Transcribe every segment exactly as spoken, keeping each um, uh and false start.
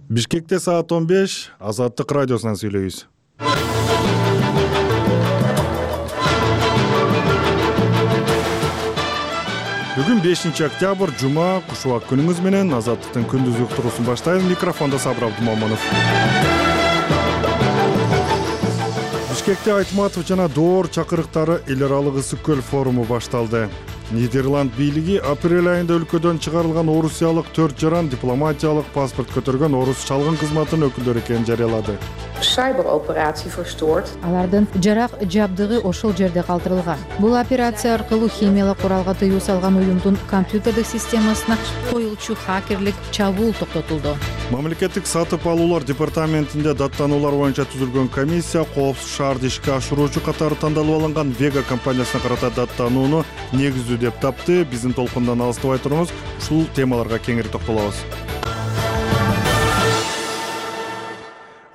Бишкекте саат он беш, Азаттык радиосунан сүйлөйбүз. Бүгүн бешинчи октябрь, жума, кушубак күнүңүз менен Азаттыктын күндүз уктуруусун баштайм. Микрофондо Сабыр Абдумаманов. Бишкекте Айтматов жана Доор чакырыктары эл аралык ысык көл форуму башталды. Нидерланд бийлиги апрель айында өлкөдөн чыгарылган орусиялык төрт жаран дипломатиялык паспорт көтөргөн орус чалгын кызматынын өкүлдөрү экенин жарыялады. Cyberoperации verstoord. Алардын жарак жабдыгы ошол жерде калтырылган. Бул операция аркылуу химиялык куралга тыюу салган уюмдун компьютердик системасына коюлчу хакерлик чабуул токтотулду. Мамлекеттик сатып алуулар департаментинде даттануулар боюнча түзүлгөн комиссия коопсуз шаарды ишке ашыруучу катары тандалып алынган Вега компаниясына карата даттанууну негиздүү деп тапты. Биздин толкундан алыстабай туруңуз, ушул темаларга кеңири токтолобуз.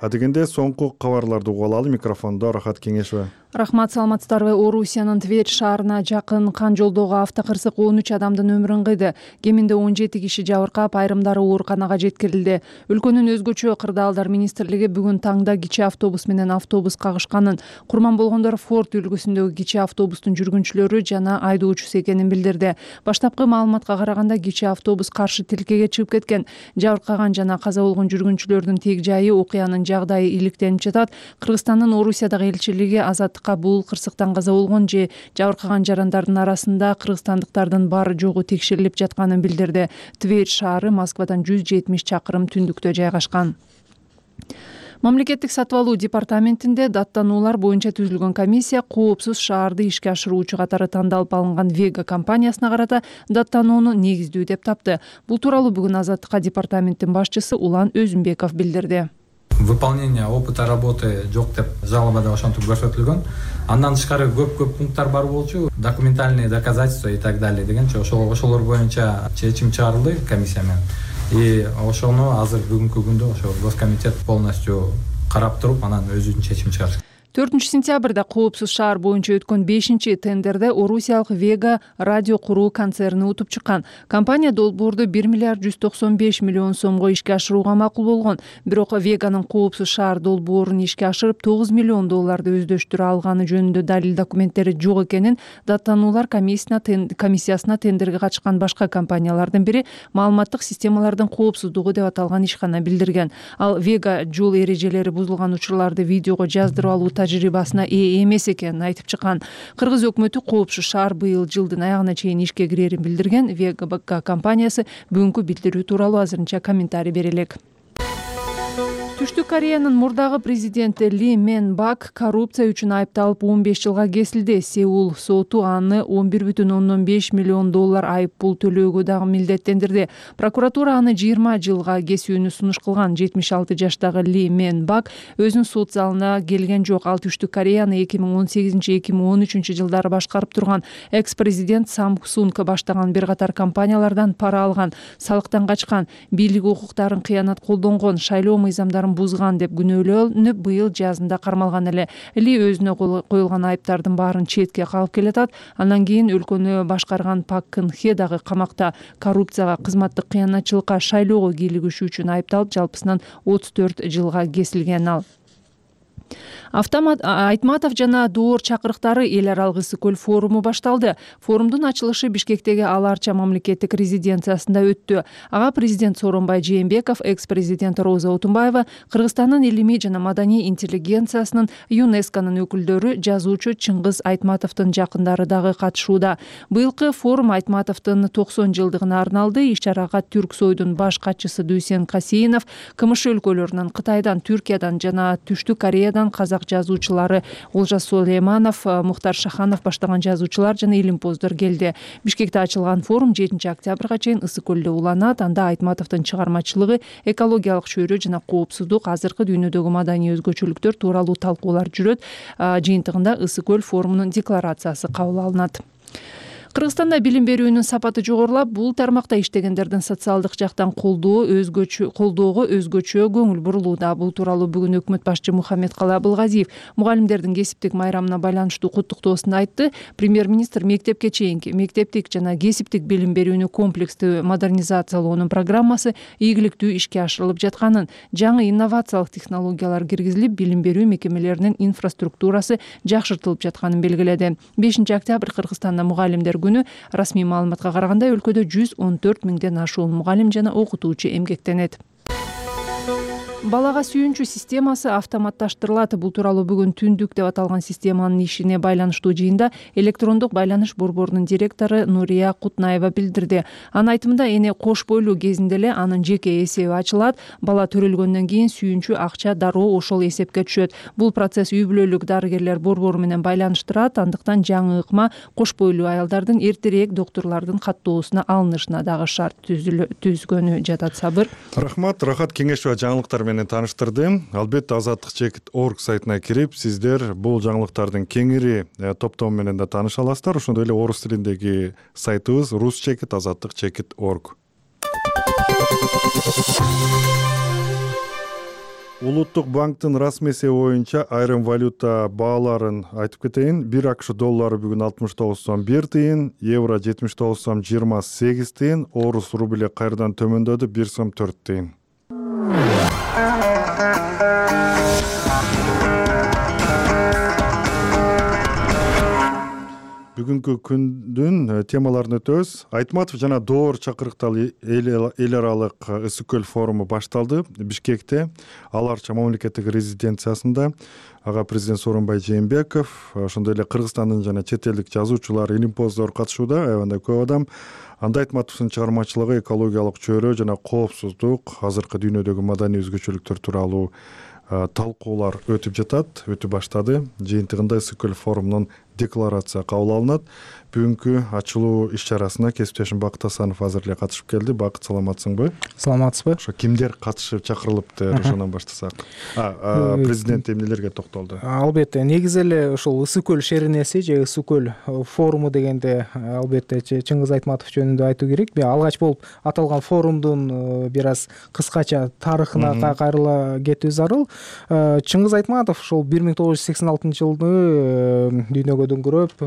Адегенде соңку кабарларды угуп алалы. Микрофондо Рахат Кеңешова. Рахмат, саламатсыздарбы? Орусиянын Тверь шаарына жакын Кан жолдогу автокырсык он үч адамдын өмүрүн кыйды. Кеминде он жети киши жабыркап, айрымдары ооруканага жеткирилди. Өлкөнүн өзгөчө кырдаалдар министрлиги бүгүн таңда кичи автобус менен автобус кагышканын, курман болгондор Форд үлгүсүндөгү кичи автобустун жүргүнчүлөрү жана айдоочусу экенин билдирди. Баштапкы маалыматка караганда кичи автобус каршы тилкеге чыгып кеткен. Жабыркаган жана каза болгон жүргүнчүлөрдүн тег жайы, окуянын жагдайы иликтенип жатат. Кыргызстандын Орусиядагы элчилиги Азаттык бул кырсыктан каза болгон же жабыркаган жарандардын арасында кыргызстандыктардын бары жогу текшерилип жатканын билдирди. Тверь шаары Москвадан жүз жетимиш чакырым түндүктө жайгашкан. Мамлекеттик сатып алуу департаментинде даттануулар боюнча түзүлгөн комиссия коопсуз шаарды ишке ашыруучу катары тандалып алынган Вега компаниясына карата даттанууну негиздүү деп тапты. Бул тууралуу бүгүн Азаттыкка департаменттин башчысы Улан Өзүнбеков билдирди. Выполнение опыта работы жок деп жалобада ошентип көрсөтүлгөн. Андан тышкары көп-көп пункттар бар болчу, документальные доказательства и так далее дегенче ошол ошолор боюнча чечим чыгарылды комиссия менен. И ошону азыр бүгүнкү күндө ошо Госкомитет полностью карап туруп, анан өзүнүн чечимин чыгарат. төртүнчү сентябрда коопсуз шаар боюнча өткөн бешинчи тендерде Орусиялык Вега радио куруу концерни утуп чыккан. Компания долбоорду бир миллиард жүз токсон беш миллион сомго ишке ашырууга макул болгон. Бирок Веганын коопсуз шаар долбоорун ишке ашырып тогуз миллион долларды өздөштүрө алганы жөнүндө далил документтери жок экенин даттануулар комиссиясына тендерге катышкан башка компаниялардын бири маалыматтык системалардын коопсуздугу деп аталган ишкана билдирген. Ал Вега жол эрежелери бузулган учурларды видеого жаздырып алуу тажрыйбасына ээ эмес экенин айтып чыккан. Кыргыз өкмөтү коопсуз шаар быйыл жылдын аягына чейин ишке кирерин билдирген. Вега компаниясы бүгүнкү билдирүү тууралуу азырынча комментарий бере элек. Түштүк Кореянын мурдагы президенти Ли Мен Бак коррупция үчүн айыпталып он беш жылга кесилди. Сеул соту аны он бир бүтүн ондон беш миллион доллар айып пул төлөөгө дагы милдеттендирди. Прокуратура аны жыйырма жылга кесүүнү сунуш кылган. жетимиш алты жаштагы Ли Мен Бак өзүнүн сот залына келген жок. Ал Түштүк Кореяны эки миң он сегизинчи эки миң он үчүнчү жылдары башкарып турган экс-президент Самсунг баштаган бир катар компаниялардан пара алган, салыктан качкан, бийлик укуктарын кыянат колдонгон, шайлоо мыйзамдарын бузган деп күнөөлөнүп быйыл жазында кармалган эле. Ли өзүнө коюлган айыптардын баарын четке кагып келатат. Андан кийин өлкөнү башкарган Пак Кын Хе дагы камакта. Коррупцияга, кызматтык кыянатчылыкка, шайлоого кийлигишүү үчүн айыпталып, жалпысынан отуз төрт жылга кесилген ал. Автомат Айтматов жана Доор чакырыктары эл аралык ысык көл форуму башталды. Форумдун ачылышы Бишкектеги Ал Арча мамлекеттик резиденциясында өттү. Ага президент Сооронбай Жээнбеков, экс-президент Роза Отунбаева, Кыргызстандын илимий жана маданий интеллигенциясынын ЮНЕСКОнун өкүлдөрү, жазуучу Чыңгыз Айтматовдун жакындары дагы катышууда. Быйылкы форум Айтматовдун токсон жылдыгына арналды. Иш-чарага Түрксойдун баш катчысы Дүйсен Касейинов, КМШ өлкөлөрүнөн, Кытайдан, Түркиядан жана Түштүк Кореядан казак жазуучулары Олжас Сулейманов, Мухтар Шаханов баштаган жазуучулар жана илимпоздор келди. Бишкекте ачылган форум жетинчи октябрга чейин ысык көлдө уланат. Анда Айтматовдун чыгармачылыгы, экологиялык чөйрө жана коопсуздук, азыркы дүйнөдөгү маданий өзгөчөлүктөр тууралуу талкуулар жүрөт. Жыйынтыгында ысык көл форумунун декларациясы кабыл алынат. Кыргызстанда билим берүүнүн сапаты жогорулап, бул тармакта иштегендердин социалдык жактан колдоо өзгөчө колдоого өзгөчө көңүл бурулууда. Бул тууралуу бүгүн өкмөт башчы Мухаммедкалы Абылгазиев мугалимдердин кесиптик майрамына байланыштуу куттуктоосунда айтты. Премьер-министр мектепке чейинки, мектептик жана кесиптик билим берүүнү комплекстүү модернизациялоонун программасы ийгиликтүү ишке ашырылып жатканын, жаңы инновациялык технологиялар киргизилип, билим берүү мекемелеринин инфраструктурасы жакшыртылып жатканын белгиледи. бешинчи октябрь Кыргызстанда мугалимдер күнү. Расмий маалыматка караганда өлкөдө жүз он төрт миңден ашуун мугалим жана окутуучу эмгектенет. Балага сүйүнчү системасы автоматташтырылат. Бул тууралуу бүгүн Түндүк деп аталган системанын ишине байланыштуу жыйында электрондук байланыш борборунун директору Нурия Кутнаева билдирди. Анын айтымында эне кош бойлуу кезинде эле анын жеке эсеби ачылат. Бала төрөлгөндөн кийин сүйүнчү акча дароо ошол эсепке түшөт. Бул процесс үй бүлөлүк дарыгерлер борбору менен байланыштырат. Андыктан жаңы ыкма кош бойлуу аялдардын эртерээк доктурлардын каттоосуна алынышына дагы шарт түзгөнү жатат. Сабыр. Рахмат, Рахат Кеңешова жаңылыктар менен тааныштырды. Албетте азаттык чекит точка орг сайтына кирип, сиздер бул жаңылыктардын кеңири топтому менен да тааныша аласыздар. Ошондой эле орус тилиндеги сайтыбыз рус чекит азаттык чекит точка орг. Улуттук банктын расмий эсеби боюнча айрым валюта бааларын айтып кетейин. бир АКШ доллары бүгүн алтымыш тогуз сом бир тыйын, евро жетимиш тогуз сом жыйырма сегиз тыйын, орус рубли кайрадан төмөндөдү бир сом төрт тыйын. Бүгүнкү күндүн темаларын өтөбүз. Айтматов жана Доор чакырыктагы эл аралык ысык көл форуму башталды Бишкекте, Ал Арча мамлекеттик резиденциясында. Ага президент Сооронбай Жээнбеков, ошондой эле Кыргызстандын жана чет элдик жазуучулар, илимпоздор катышууда. Аябандай көп адам. Анда Айтматовдун чыгармачылыгы экологиялык чөйрө жана коопсуздук, азыркы дүйнөдөгү маданий өзгөчөлүктөр тууралуу талкуулар өтүп жатат, өтүп баштады. Жыйынтыгында ысык көл форумунун декларация кабыл алынат. Бүгүнкү ачылуу иш-чарасына кесиптешим Бакыт Асанов азыр эле катышып келди. Бакыт, саламатсыңбы? Саламатсызбы? Ошо кимдер катышып чакырылыпты, ошондон баштасак. А, президент эмнелерге токтолду? Албетте, негизи эле ошол ысык көл шеринеси же ысык көл форуму дегенде албетте Чыңгыз Айтматов жөнүндө айтуу керек. Алгач болуп аталган форумдун бир аз кыскача тарыхына кайрыла кетүү зарыл. Чыңгыз Айтматов ошол бир миң тогуз жүз сексен алтынчы жылды дүйнөгө дөңгөрөп,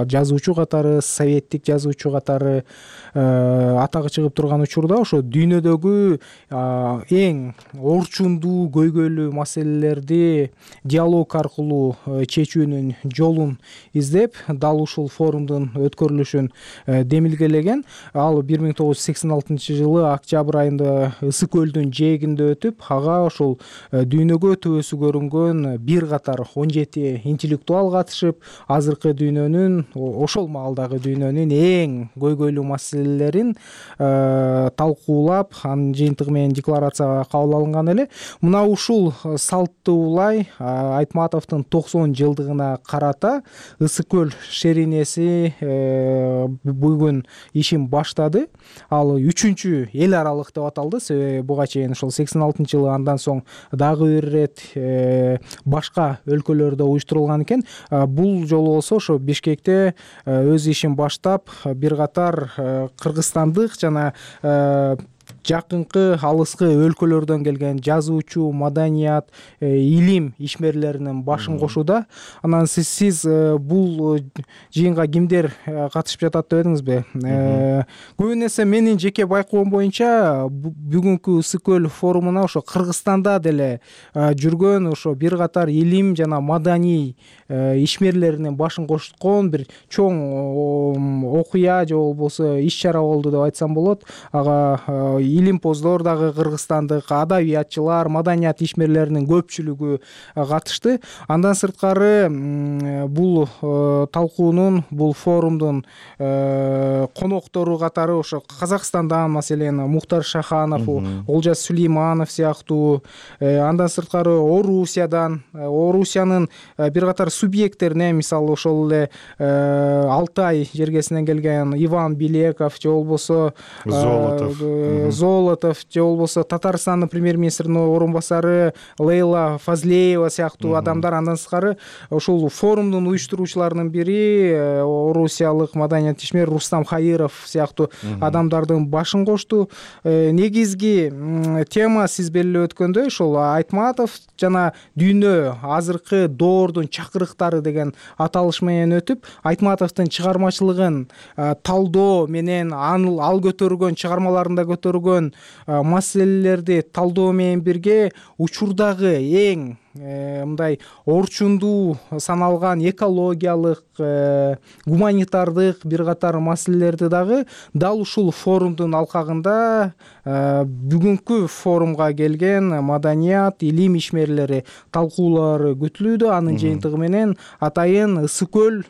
жазуучу катары, советтик жазуучу катары атагы чыгып турган учурда ошо дүйнөдөгү эң орчундуу, көйгөйлүү маселелерди диалог аркылуу чечүүнүн жолун издеп, дал ушул форумдун өткөрүлүшүн демилгелеген. Ал бир миң тогуз жүз сексен алтынчы жылы октябрь айында ысык көлдүн жээгинде өтүп, ага ошол дүйнөгө төбөсү көрүнгөн бир катар он жети интеллектуал катышып, азыркы дүйнөнүн, ошол маалдагы дүйнөнүн эң көйгөйлүү маселелерин талкуулап, анын жыйынтыгы менен декларацияга кабыл алынган эле. Мына ушул салтты улай Айтматовдун токсон жылдыгына карата ысык көл шеринеси бүгүн ишин баштады. Ал үчүнчү эл аралык деп аталды. Себеби буга чейин ошол сексен алтынчы жылы, андан соң дагы бир ирет башка өлкөлөрдө уюштурулган экен. Бул жолу болсо ошо Бишкекте өз ишин баштап, бир катар кыргызстандык жана жакынкы алыскы өлкөлөрдөн келген жазуучу, маданият, илим ишмерлеринин башын кошууда. Анан сиз сиз бул жыйынга кимдер катышып жатат деп эдиңизби? Көбүн эсе менин жеке байкоом боюнча бүгүнкү ысык көл форумуна ошо Кыргызстанда деле жүргөн ошо бир катар илим жана маданий ишмерлеринин башын кошкон бир чоң окуя же болбосо иш-чара болду деп айтсам болот. Ага илимпоздор дагы кыргызстандык, адабиятчылар, маданият ишмерлеринин көпчүлүгү катышты. Андан сырткары бул талкуунун, бул форумдун коноктору катары ошо Казакстандан, маселен, Мухтар Шаханов, Олжас Сулейманов сыяктуу, андан сырткары Орусиядан, Орусиянын бир катар субъекттерине, мисалы ошол эле Алтай жергесинен келген Иван Билеков же болбосо Золотов Золотов же болбосо Татарстандын премьер-министринин орун басары Лейла Фазлеева сыяктуу адамдар, андан тышкары ушул форумдун уюштуруучуларынын бири орусиялык маданият ишмер Рустам Хаиров сыяктуу адамдардын башын кошту. Негизги тема сиз белгилеп өткөндөй ошол Айтматов жана дүйнө азыркы доордун чакырыктары деген аталыш менен өтүп, Айтматовдун чыгармачылыгын талдоо менен ал көтөргөн чыгармаларында көтөргөн маселелерди талдоо менен бирге учурдагы эң мындай орчундуу саналган экологиялык, гуманитардык бир катар маселелерди дагы дал ушул форумдун алкагында бүгүнкү форумга келген маданият, илим ишмерлери талкуулары күтүлүүдө. Анын жыйынтыгы менен атайын Ысык көл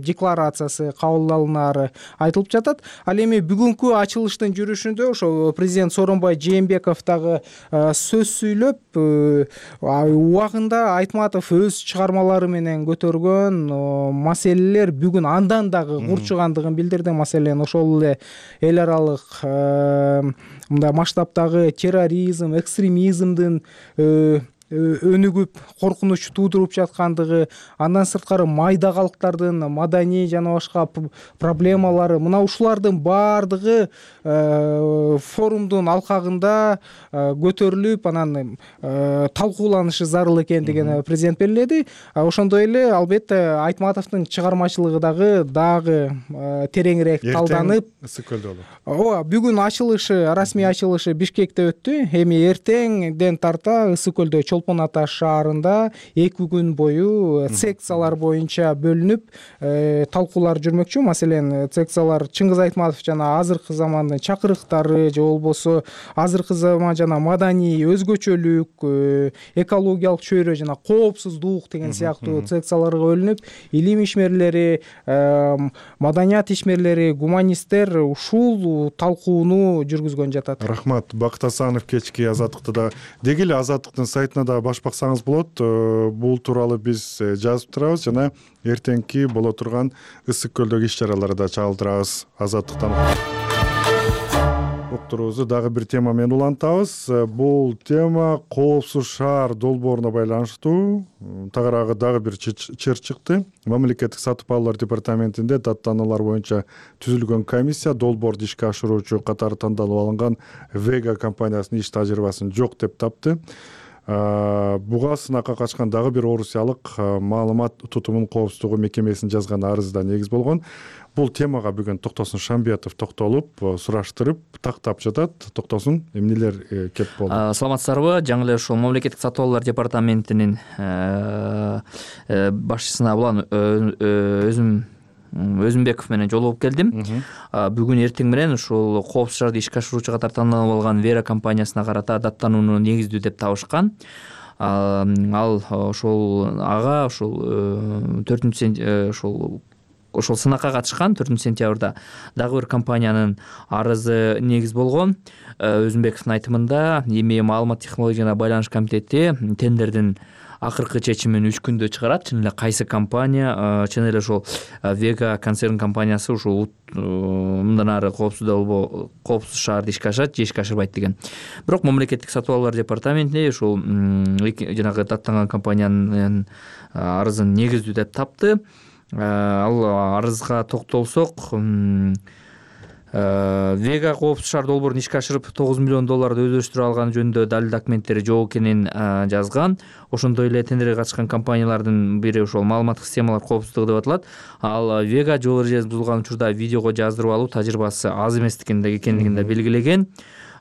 декларациясы кабыл алынаары айтылып жатат. Ал эми бүгүнкү ачылыштын жүрүшүндө ошо президент Сооронбай Жээнбеков дагы сөз сүйлөп, убагында Айтматов өз чыгармалары менен көтөргөн маселелер бүгүн андан дагы курчугандыгын билдирди. Маселен, ошол эле эл аралык мындай масштабтагы терроризм, экстремизмдин өнүгүп коркунуч туудуруп жаткандыгы, андан сырткары майда калктардын маданий жана башка проблемалары, мына ушулардын баардыгы форумдун алкагында көтөрүлүп, анан талкууланышы зарыл экендигин президент белгиледи. Ошондой эле албетте Айтматовдун чыгармачылыгы дагы дагы тереңирээк талданып, Ысык көлдө болот. Ооба, бүгүн ачылышы, расмий ачылышы Бишкекте өттү. Эми эртеңден тарта Ысык көлдө Чолпон Ата шаарында эки күн бою секциялар боюнча бөлүнүп талкуулар жүрмөкчү. Маселен, секциялар Чыңгыз Айтматов жана азыркы замандын чакырыктары же болбосо азыркы заман жана маданий өзгөчөлүк, экологиялык чөйрө жана коопсуздук деген сыяктуу секцияларга бөлүнүп, илим ишмерлери, маданият ишмерлери, гуманисттер ушул талкууну жүргүзгөн жатат. Рахмат. Бакыт Асанов кечки Азаттыкты да деги эле Азаттыктын сайтына да баш баксаңыз болот. Бул тууралуу биз жазып турабыз жана эртеңки боло турган Ысык көлдөгү иш-чараларды да чагылдырабыз. Азаттыктан уктуруубузду дагы бир тема менен улантабыз. Бул тема коопсуз шаар долбооруна байланыштуу. Тагыраагы дагы бир чыр чыкты. Мамлекеттик сатып алуулар департаментинде даттануулар боюнча түзүлгөн комиссия долбоорду ишке ашыруучу катары тандалып алынган Вега компаниясынын иш тажрыйбасын жок деп тапты. Буга сынакка качкан дагы бир орусиялык маалымат тутумунун коопсуздугу мекемесинин жазган арызы да негиз болгон. Бул темага бүгүн Токтосун Шамбиятов токтолуп, сураштырып, тактап жатат. Токтосун, эмнелер кеп болду? Саламатсыздарбы? Жаңы эле ушул мамлекеттик сатып алуулар департаментинин башчысына улан өзүм Өзүмбеков менен жолугуп келдим. Бүгүн эртең менен ушул коопсуз шаарды ишке ашыруучу катары тандалып алган Вера компаниясына карата даттанууну негиздүү деп табышкан. Ал ошол ага ошол төртүнчү ошол ошол сынакка катышкан төртүнчү сентябрда дагы бир компаниянын арызы негиз болгон. Өзүмбековдун айтымында эми маалымат технологияларына байланыш комитети тендердин акыркы чечимин үч күндө чыгарат. Чын эле кайсы компания, чын эле ошол Вега концерн компаниясы ушул мындан ары коопсуз долбоо, коопсуз шаарды ишке ашат же ишке ашырбайт деген. Бирок мамлекеттик сатып алуулар департаменти ушул жанагы даттанган компаниянын арызын негиздүү деп тапты. Ал арызга токтолсок, Вега коопсуз шаар долбоорун ишке ашырып тогуз миллион долларды өздөштүрө алганы жөнүндө далил документтери жок экенин жазган. Ошондой эле тендерге катышкан компаниялардын бири ошол маалыматтык системалар коопсуздугу деп аталат. Ал Вега жол эрежесин бузулган учурда видеого жаздырып алуу тажрыйбасы аз эместигин экенин да белгилеген.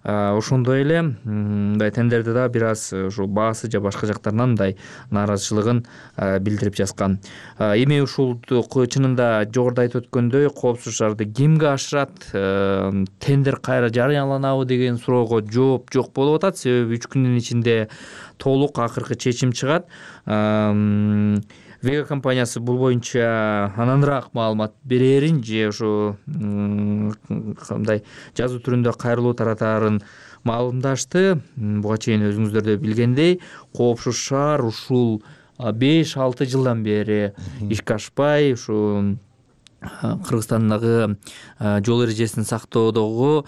Ошондой эле мындай тендерде да бир аз ушул баасы же башка жактарынан мындай нааразычылыгын билдирип жазган. Эми ушул чынында жогоруда айтып өткөндөй коопсуз шаарды кимге ашырат, тендер кайра жарыяланабы деген суроого жооп жок болуп атат. Себеби үч күндүн ичинде толук акыркы чечим чыгат. Вега компаниясы бул боюнча ананраак маалымат берерин же ушу кандай жазуу түрүндө кайрылуу таратаарын маалымдашты. Буга чейин өзүңүздөр да билгендей, коопсуз шаар ушул беш алты жылдан бери ишке ашпай, ушу Кыргызстандагы жол эрежесин сактоодогу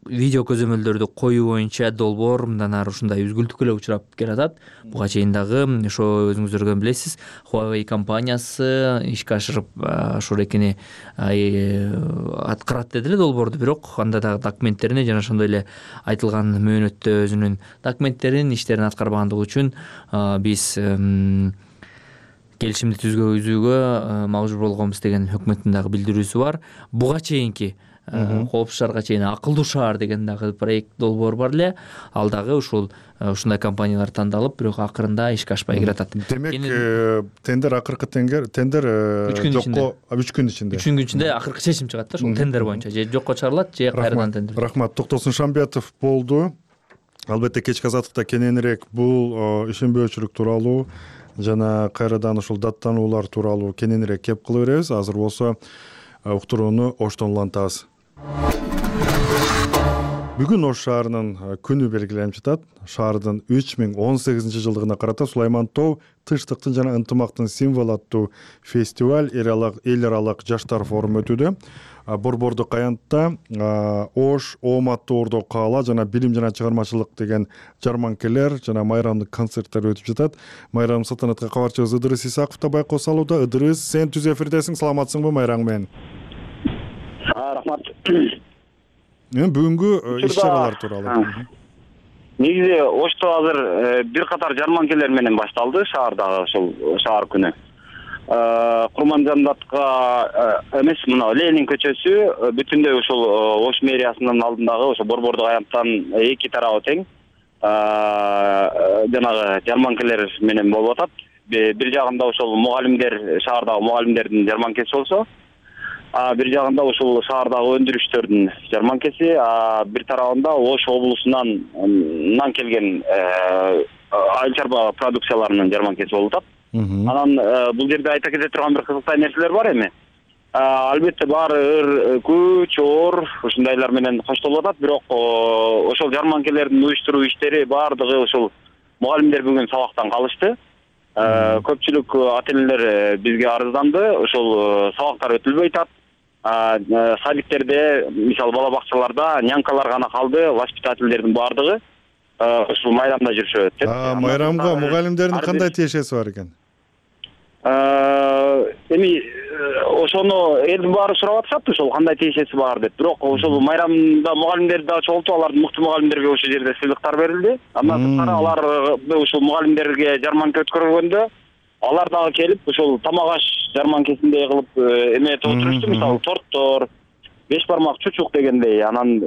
видео көзөмөлдөрдү коюу боюнча долбоор мындан ары ушундай үзгүлтүккө эле учурап келатат. Буга чейин дагы ошо өзүңүздөр билесиз, Huawei компаниясы ишке ашырып ошол экени аткарат деди эле долбоорду, бирок анда дагы документтерине жана ошондой эле айтылган мөөнөттө өзүнүн документтерин, иштерин аткарбагандыгы үчүн биз келишимди түзүүгө мажбур болгонбуз деген өкмөттүн дагы билдирүүсү бар. Буга чейинки коопсуз шаарга чейин акылдуу шаар деген дагы проект долбоор бар эле. Ал дагы ушул ушундай компаниялар тандалып, бирок акырында ишке ашпай келатат. Демек, тендер акыркы тендер тендер жокко үч күн ичинде. үч күн ичинде акыркы чечим чыгат да, ушул тендер боюнча же жокко чыгарылат, же кайрадан тендер. Рахмат. Токтосун Шамбетов болду. Албетте кечки азаттыкта кененирээк бул ишенбөөчүлүк тууралуу жана кайрадан ушул даттануулар тууралуу кененирээк кеп кыла беребиз. Азыр болсо уктурууну Оштон улантабыз. Бүгүн Ош шаарынын күнү белгиленип жатат. Шаардын үч миң он сегизинчи жылдыгына карата Сулайман Тоо тынчтыктын жана ынтымактын символу аттуу фестиваль эл аралык жаштар форуму өтүүдө. Борбордук аянтта Ош, Оомат Тоордо каала жана билим жана чыгармачылык деген жарманкелер жана майрамдык концерттер өтүп жатат. Майрам салтанатка кабарчыбыз Ыдырыс Исаков да байкоо салууда. Ыдырыс, сен түз эфирдесиң, саламатсыңбы майраң менен? Рахмат. Бүгүнкү иш-чаралар тууралуу. Негизи Ошто азыр бир катар жарманкелер менен башталды шаардагы ушул шаар күнү. Курманжандатка эмес, мына Ленин көчөсү бүтүндөй ушул Ош мэриясынын алдындагы ошо борбордук аянттан эки тарабы тең жанагы жарманкелер менен болуп атат. Бир жагында ошол мугалимдер, шаардагы мугалимдердин жарманкеси болсо, бир жагында ушул шаардагы өндүрүштөрдүн жарманкеси, бир тарабында Ош облусунан келген айыл чарба продукцияларынын жарманкеси болуп атат. Анан бул жерде айта кете турган бир кызыктай нерселер бар эми. Албетте баары ыр, күч, оор ушундайлар менен коштолуп атат, бирок ошол жарманкелердин уюштуруу иштери баардыгы ушул мугалимдер бүгүн сабактан калышты. Көпчүлүк ата-энелер бизге арызданды, ошол сабактар өтүлбөй атат. Садиктерде, мисалы бала бакчаларда нянкалар гана калды, воспитательдердин баардыгы ушул майрамда жүрүшөт деп. Майрамга мугалимдердин кандай тиешеси бар экен? Эми ошону элдин баары сурап атышат, ошол кандай тиешеси бар деп. Бирок ошол майрамда мугалимдерди да чогултуп, алардын мыкты мугалимдерге ошол жерде сыйлыктар берилди. Андан сырткары алар ушул мугалимдерге жарманка өткөргөндө алар дагы келип ушул тамак аш жарманкесиндей кылып эметип отурушту, мисалы торттор, беш бармак чучук дегендей. Анан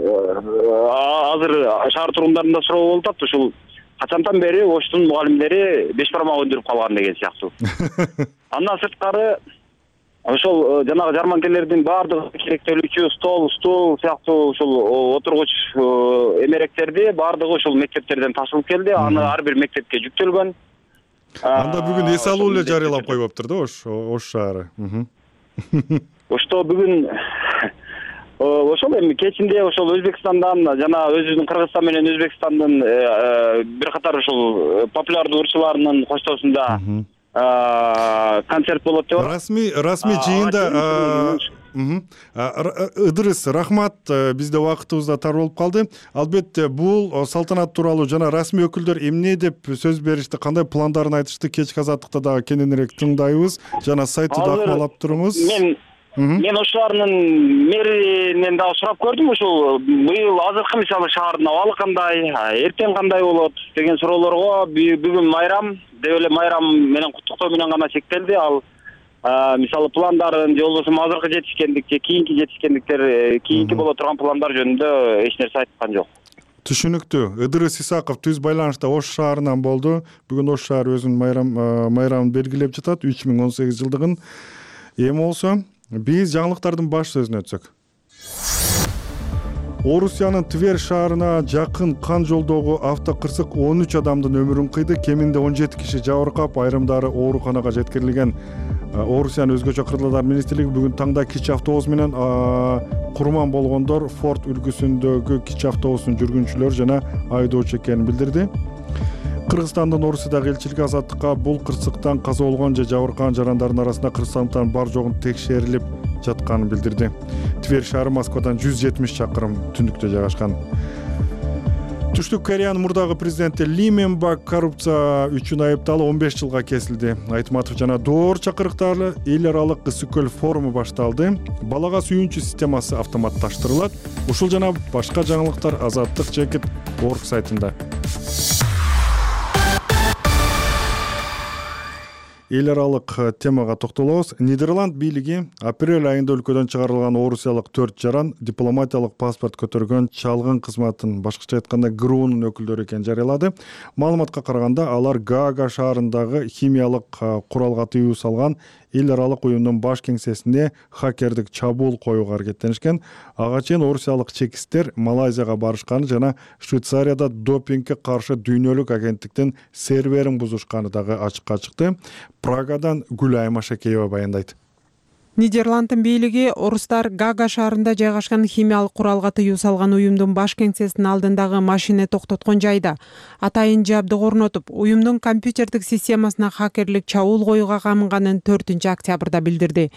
азыр шаар тургундарында суроо болуп атат, ушул качантан бери Оштун мугалимдери беш бармак өндүрүп калган деген сыяктуу. Андан сырткары ошол жанагы жарманкелердин баардыгы керектелүүчү стол, стул сыяктуу ушул отургуч эмеректерди баардыгы ушул мектептерден ташылып келди. Аны ар бир мектепке жүктөлгөн. Анда бүгүн эс алуу эле жарыялап койбоптур да Ош, Ош шаары. Ошто бүгүн ошол эми кечинде ошол Өзбекстандан жана өзүбүздүн Кыргызстан менен Өзбекстандын бир катар ушул популярдуу ырчыларынын коштоосунда концерт болот деп. Расмий расмий жыйында Ыдырыс, рахмат, бизде убактыбыз да тар болуп калды. Албетте бул салтанат тууралуу жана расмий өкүлдөр эмне деп сөз беришти, кандай пландарын айтышты, кечки азаттыкта дагы кененирээк тыңдайбыз жана сайтты да акмалап туруңуз. Мен Мен Ош шаарынын мэринен дагы сурап көрдүм, ушул быйыл азыркы мисалы шаардын абалы кандай, эртең кандай болот деген суроолорго бүгүн майрам деп эле майрам менен куттуктоо менен гана чектелди. Ал мисалы пландарын же болбосо азыркы жетишкендик же кийинки жетишкендиктер, кийинки боло турган пландар жөнүндө эч нерсе айткан жок. Түшүнүктүү. Ыдырыс Исаков түз байланышта Ош шаарынан болду. Бүгүн Ош шаары өзүнүн майрам майрамын белгилеп жатат, үч миң он сегиз жылдыгын. Эми болсо биз жаңылыктардын баш сөзүнө өтсөк. Орусиянын Тver шаарына жакын кан жолдогу автокырсык он үч адамдын өмүрүн кыйды. Кеминде он жети киши жабыркап, айрымдары ооруканага жеткирилген. Орусиянын өзгөчө кырдаалдар министрлиги бүгүн таңда кичи автобус менен курман болгондор Форд үлгүсүндөгү кичи автобустун жүргүнчүлөрү жана айдоочу экенин билдирди. Кыргызстандын Орусиядагы элчилиги азаттыкка бул кырсыктан каза болгон же жабыркаган жарандардын арасында кыргызстандыктардын бар жогун текшерилип жатканын билдирди. Тверь шаары Москвадан жүз жетимиш чакырым түндүктө жайгашкан. Түштүк Кореянын мурдагы президенти Ли Мен Бак коррупция үчүн айыпталып он беш жылга кесилди. Айтматов жана Доор чакырыктары эл аралык ысык-көл форуму башталды. Балага сүйүүнчү системасы автоматташтырылат. Ушул жана башка жаңылыктар Азаттык жекит орг сайтында. Эл аралык темага токтолобуз. Нидерланд бийлиги апрель айында өлкөдөн чыгарылган орусиялык төрт жаран дипломатиялык паспорт көтөргөн чалгын кызматын, башкача айтканда ГРУнун өкүлдөрү экенин жарыялады. Маалыматка караганда алар Гаага шаарындагы химиялык куралга тыюу салган эл аралык уюмдун баш кеңсесине хакердик чабуул коюуга аракеттенишкен. Ага чейин орусиялык чекисттер Малайзияга барышканы жана Швейцарияда допингге каршы дүйнөлүк агенттиктин серверин бузушканы дагы ачыкка чыкты. Прагадан Гүлайым Ашакеева баяндайт. Нидерланддын бийлиги орустар Гаага шаарында жайгашкан химиялык куралга тыюу салган уюмдун баш кеңсесинин алдындагы машина токтоткон жайда атайын жабдык орнотуп, уюмдун компьютердик системасына хакерлик чабуул коюуга камынганын төртүнчү октябрда билдирди.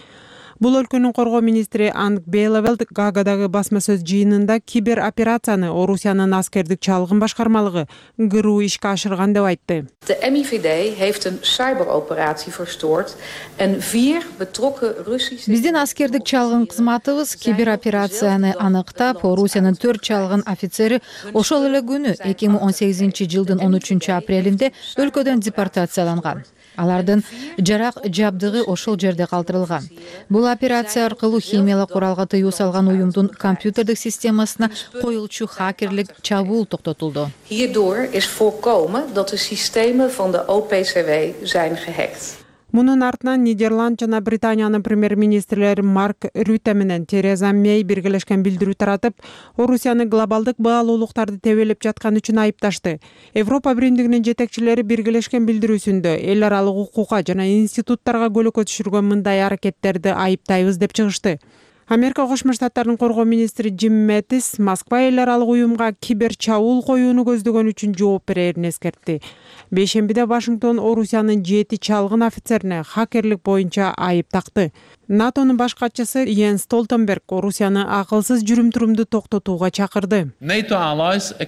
Бул өлкөнүн коргоо министри Анг Бейлевелд Гаагадагы басма сөз жыйынында кибер операцияны Орусиянын аскердик чалгын башкармалыгы ГРУ ишке ашырган деп айтты. De M I V D heeft een cyberoperatie verstoord en vier betrokken Russische... Биздин аскердик чалгын кызматыбыз кибер операцияны аныктап, Орусиянын төрт чалгын офицери ошол эле күнү эки миң он сегизинчи жылдын он үчүнчү апрелинде өлкөдөн депортацияланган. Алардын жарак жабдыгы ошол жерде калтырылган. Бул операция аркылуу химиялык куралга тыюу салган уюмдун компьютердик системасына коюлчу хакерлик чабуул токтотулду. Hierdoor is voorkomen dat de systemen van de O P C W zijn gehackt. Мунун артынан Нидерланд жана Британиянын премьер-министрлери Марк Рюте менен Тереза Мей биргелешкен билдирүү таратып, Орусияны глобалдык баалуулуктарды тебелеп жатканы үчүн айыпташты. Европа биримдигинин жетекчилери биргелешкен билдирүүсүндө эл аралык укукка жана институттарга көлөкө түшүргөн мындай аракеттерди айыптайбыз деп чыгышты. Америка Кошмо Штаттарынын коргоо министри Джим Мэттис Москва эл аралык уюмга кибер чабуул коюуну көздөгөн үчүн жооп берерин эскертти. Бейшембиде Вашингтон Орусиянын жети чалгын офицерине хакерлик боюнча айып такты. НАТОнун баш катчысы Йенс Столтенберг Орусияны акылсыз жүрүм-турумду токтотууга чакырды. НАТОго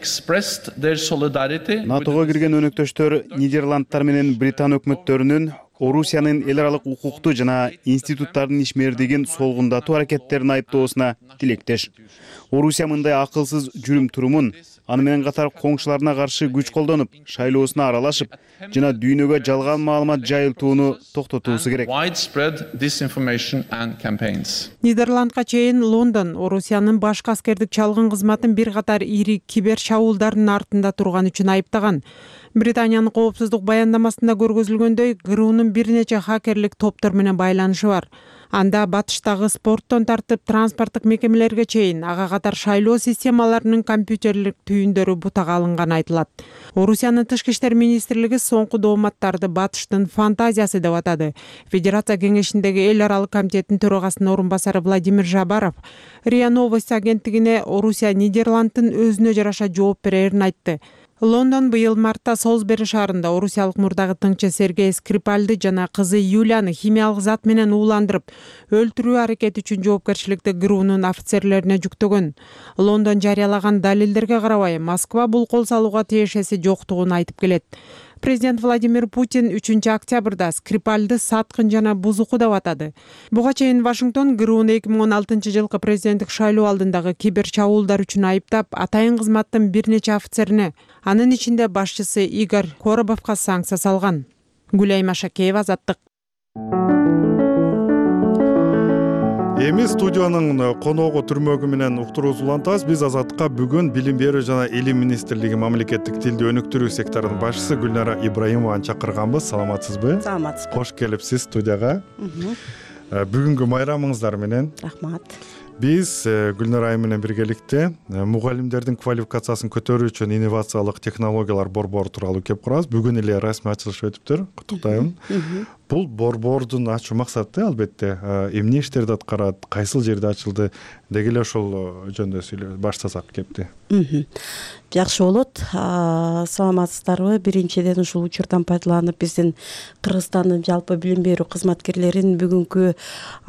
кирген өнөктөштөр Нидерландтар менен Британ өкмөттөрүнүн Орусиянын эл аралык укукту жана институттардын ишмердигин солгундатуу аракеттерин айыптоосуна тилектеш. Орусия мындай акылсыз жүрүм-турумун, аны менен катар коңшуларына каршы күч колдонуп, шайлоосуна аралашып жана дүйнөгө жалган маалымат жайылтууну токтотуусу керек. Нидерландга чейин Лондон Орусиянын башкы аскердик чалгын кызматын бир катар ири кибер чабуулдардын артында турган үчүн айыптаган. Британиянын коопсуздук баяндамасында көргөзүлгөндөй, ГРУнун бир нече хакерлик топтор менен байланышы бар. Анда батыштагы спорттон тартып транспорттук мекемелерге чейин ага катар шайлоо системаларынын компьютерлик түйүндөрү бутага алынганы айтылат. Орусиянын тышкы иштер министрлиги соңку дооматтарды батыштын фантазиясы деп атады. Федерация кеңешиндеги эл аралык комитеттин төрагасынын орун басары Владимир Жабаров РИА Новости агенттигине Орусия Нидерланддын өзүнө жараша жооп берерин айтты. Лондон быйыл мартта Солсбери шаарында орусиялык мурдагы тыңчы Сергей Скрипальды жана кызы Юлияны химиялык зат менен ууландырып, өлтүрүү аракети үчүн жоопкерчиликти ГРУнун офицерлерине жүктөгөн. Лондон жарыялаган далилдерге карабай, Москва бул кол салууга тиешеси жоктугун айтып келет. Президент Владимир Путин үчүнчү октябрда Скрипальды саткын жана бузуку деп атады. Буга чейин Вашингтон ГРУну эки миң он алтынчы жылкы президенттик шайлоо алдындагы кибер чабуулдар үчүн айыптап, атайын кызматтын бир нече офицерине, анын ичинде башчысы Игорь Коробовго санкция салган. Гүлайым Ашакеева, Азаттык. Эми студиянын коногу түрмөгү менен уктуруубузду улантабыз. Биз Азаттыкка бүгүн Билим берүү жана Илим министрлиги мамлекеттик тилди өнүктүрүү секторунун башчысы Гүлнара Ибраимованы чакырганбыз. Саламатсызбы? Саламатсызбы. Кош келипсиз студияга. Бүгүнкү майрамыңыздар менен. Рахмат. Биз Гүлнара айым менен биргеликте мугалимдердин квалификациясын көтөрүү үчүн инновациялык технологиялар борбору тууралуу кеп курабыз. Бүгүн эле расмий ачылышы өтүптүр. Куттуктайм. Бул борбордун ачуу максаты албетте эмне иштерди аткарат, кайсыл жерде ачылды, деги эле ошол жөнүндө сүйлөп баштасак кепти. Жакшы болот. Саламатсыздарбы? Биринчиден ушул учурдан пайдаланып биздин Кыргызстандын жалпы билим берүү кызматкерлерин бүгүнкү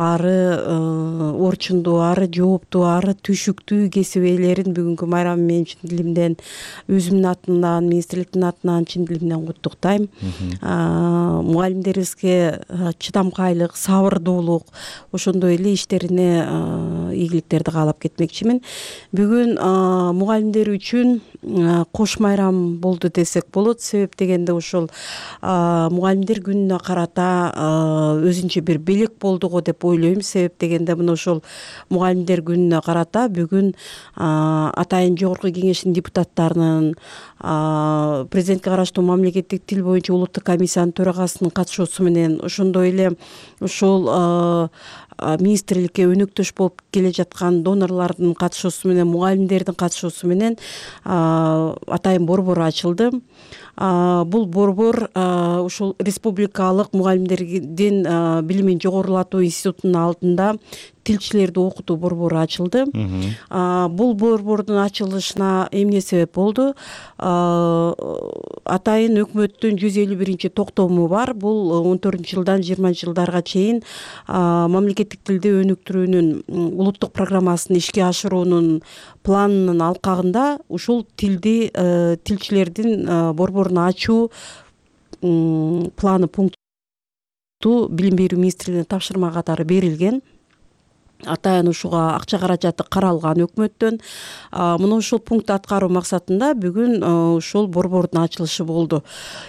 ары орчундуу, ары жооптуу, ары түшүктүү кесип ээлерин бүгүнкү майрамы менен чын дилимден, өзүмдүн атымдан, министрликтин атынан чын дилимден куттуктайм. Мугалимдерибизге чыдамкайлык, сабырдуулук, ошондой эле иштерине ийгиликтерди каалап кетмекчимин. Бүгүн мугалимдер үчүн кош майрам болду десек болот. Себеп дегенде ушул мугалимдер күнүнө карата өзүнчө бир белек болду го деп ойлойм. Себеп дегенде мына ошол мугалимдер күнүнө карата бүгүн атайын жогорку кеңештин депутаттарынын, президентке караштуу мамлекеттик тил боюнча улуттук комиссиянын төрагасынын катышуусу менен, ошондой эле ушул министрликке өнөктөш болуп келе жаткан донорлордун катышуусу менен, мугалимдердин катышуусу менен атайын борбор ачылды. Бул борбор ушул республикалык мугалимдердин билимин жогорулатуу институтунун алдында тилчилерди окутуу борбору ачылды. Бул борбордун ачылышына эмне себеп болду? Атайын өкмөттүн жүз элүү биринчи токтому бар. Бул он төртүнчү жылдан жыйырманчы жылдарга чейин мамлекеттик тилди өнүктүрүүнүн улуттук программасын ишке ашыруунун планынын алкагында ушул тилди тилчилердин борборун ачуу планы пункту билим берүү министрлигине тапшырма катары берилген. Атайын ушуга акча каражаты каралган өкмөттөн. Мына ушул пункту аткаруу максатында бүгүн ушул борбордун ачылышы болду.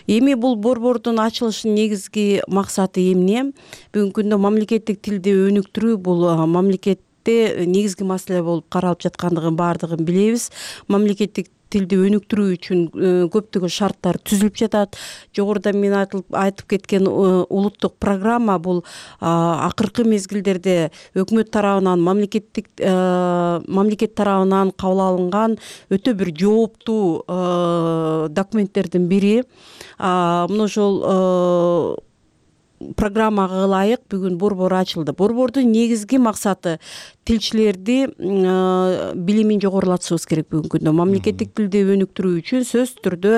Эми бул борбордун ачылышынын негизги максаты эмне? Бүгүнкү күндө мамлекеттик тилди өнүктүрүү бул мамлекетте негизги маселе болуп каралып жаткандыгын баардыгын билебиз. Мамлекеттик тилди өнүктүрүү үчүн көптөгөн шарттар түзүлүп жатат. Жогоруда мен айтып кеткен улуттук программа бул акыркы мезгилдерде өкмөт тарабынан, мамлекеттик мамлекет тарабынан кабыл алынган өтө бир жооптуу документтердин бири. Мына ошол программага ылайык бүгүн борбор ачылды. Борбордун негизги максаты тилчилерди билимин жогорулатышыбыз керек бүгүнкү күндө. Мамлекеттик тилди өнүктүрүү үчүн сөзсүз түрдө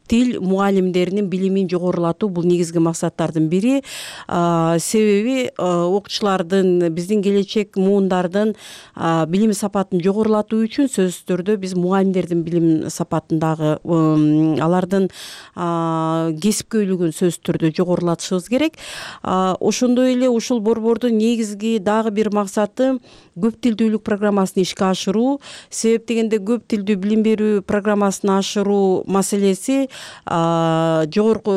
тил мугалимдеринин билимин жогорулатуу бул негизги максаттардын бири. Себеби окуучулардын, биздин келечек муундардын билим сапатын жогорулатуу үчүн сөзсүз түрдө биз мугалимдердин билим сапатын дагы, алардын кесипкөйлүгүн сөзсүз түрдө жогорулатышыбыз керек. Ошондой эле ушул борбордун негизги дагы бир максаты көп тилдүүлүк программасын ишке ашыруу. Себеп дегенде көп тилдүү билим берүү программасын ашыруу маселеси жогорку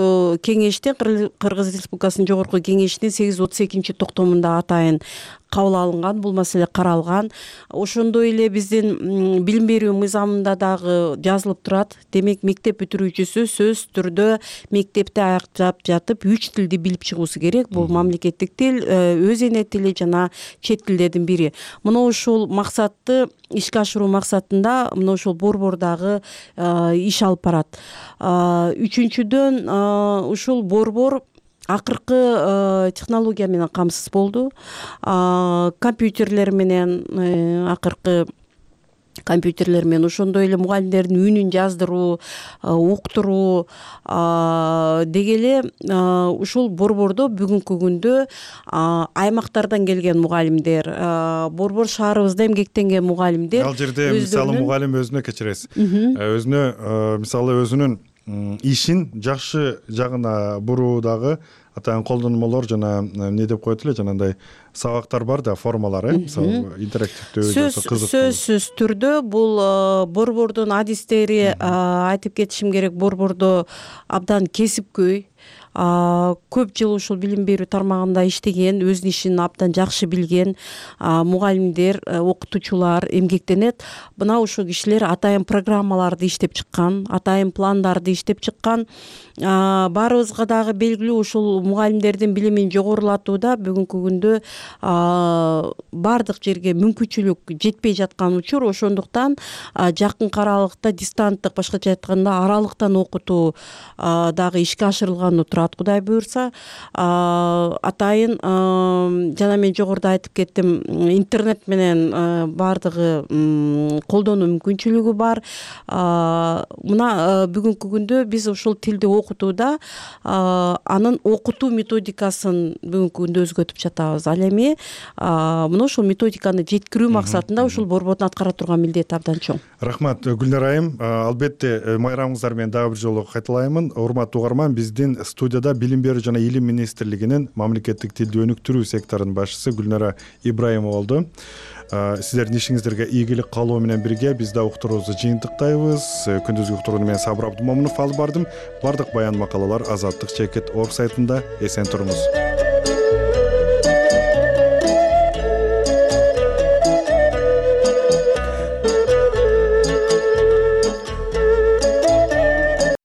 кеңештин, Кыргыз Республикасынын жогорку кеңешинин сегиз жүз отуз экинчи токтомунда атайын кабыл алынган, бул маселе каралган. Ошондой эле биздин билим берүү мыйзамында дагы жазылып турат. Демек, мектеп бүтүрүүчүсү сөзсүз түрдө мектепти аяктап жатып үч тилди билип чыгуусу керек. Бул мамлекеттик тил, өз эне тили жана чет тилдердин бири. Мына ушул максатты ишке ашыруу максатында мына ушул борбор дагы иш алып барат. Үчүнчүдөн ушул борбор акыркы технология менен камсыз болду. Компьютерлер менен, акыркы компьютерлер менен, ошондой эле мугалимдердин үнүн жаздыруу, уктуруу деги эле ушул борбордо бүгүнкү күндө аймактардан келген мугалимдер, борбор шаарыбызда эмгектенген мугалимдер. Ал жерде мисалы мугалим өзүнө кечиресиз. Өзүнө мисалы өзүнүн ишин жакшы жагына буруу дагы атайын колдонмолор жана эмне деп коет эле, жанагындай сабактар бар да, формалар, мисалы интерактивдүү, кызыктуу. Сөзсүз түрдө бул борбордун адистери, айтып кетишим керек, борбордо абдан кесипкөй, көп жыл ушул билим берүү тармагында иштеген, өзүнүн ишин абдан жакшы билген мугалимдер, окутуучулар эмгектенет. Мына ушул кишилер атайын программаларды иштеп чыккан, атайын пландарды иштеп чыккан. Баарыбызга дагы белгилүү, ушул мугалимдердин билимин жогорулатууда бүгүнкү күндө бардык жерге мүмкүнчүлүк жетпей жаткан учур. Ошондуктан жакынкы аралыкта дистанттык, башкача айтканда аралыктан окутуу дагы ишке ашырылганы турат. турат Кудай буюрса. Атайын жана мен жогоруда айтып кеттим, интернет менен баардыгы колдонуу мүмкүнчүлүгү бар. Мына бүгүнкү күндө биз ушул тилди окутууда анын окутуу методикасын бүгүнкү күндө өзгөртүп жатабыз. Ал эми мына ушул методиканы жеткирүү максатында ушул борбордун аткара турган милдети абдан чоң. Рахмат Гүлнар айым. Албетте майрамыңыздар менен дагы бир жолу кайталаймын. Урматтуу угарман, биздин студияда Билим берүү жана Илим министрлигинин мамлекеттик тилди өнүктүрүү секторунун башчысы Гүлнара Ибраимова болду. Сиздердин ишиңиздерге ийгилик каалоо менен бирге биз да уктуруубузду жыйынтыктайбыз. Күндүзгү уктурууну мен Сабыр Абдумомунов алып бардым. Бардык баян макалалар азаттык чекит орг сайтында. Эсен туруңуз.